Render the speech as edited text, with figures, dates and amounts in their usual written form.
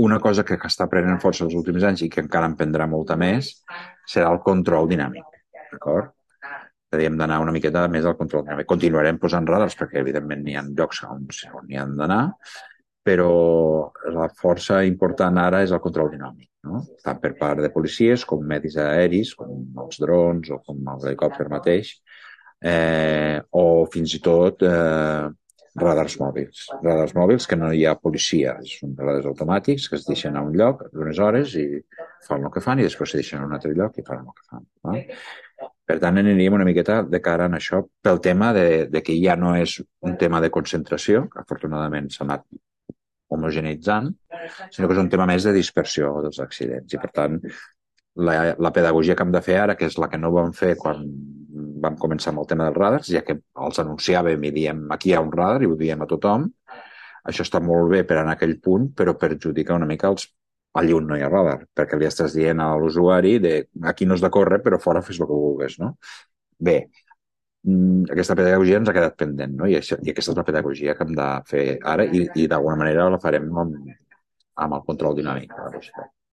una cosa que està prenent força els últims anys i que encara en prendrà molta més serà el control dinàmic, d'acord? És a dir, hem d'anar una miqueta més al control dinàmic. Continuarem posant radars perquè, evidentment, n'hi ha llocs on n'hi han d'anar, però la força important ara és el control dinàmic, no? Tant per part de policies com medis aeris, com els drons o com l'helicòpter mateix, o fins i tot radars mòbils. Radars mòbils que no hi ha policia, són radars automàtics que es deixen a un lloc unes hores i fan el que fan i després se deixen a un altre lloc i fan el que fan. No? Per tant, aniríem una miqueta de cara en això pel tema de que ja no és un tema de concentració, que afortunadament s'ha anat homogeneitzant, sinó que és un tema més de dispersió dels accidents. I, per tant, la pedagogia que hem de fer ara, que és la que no vam fer quan vam començar amb el tema dels radars, ja que els anunciàvem i diem aquí hi ha un radar i ho diem a tothom, això està molt bé per anar a aquell punt, però perjudica una mica allà on no hi ha radar, perquè li estàs dient a l'usuari de aquí no has de córrer, però fora fes el que vulguis, no? Bé, aquesta pedagogia ens ha quedat pendent, no? I aquesta és la pedagogia que hem de fer ara i d'alguna manera la farem amb el control dinàmic de la velocitat.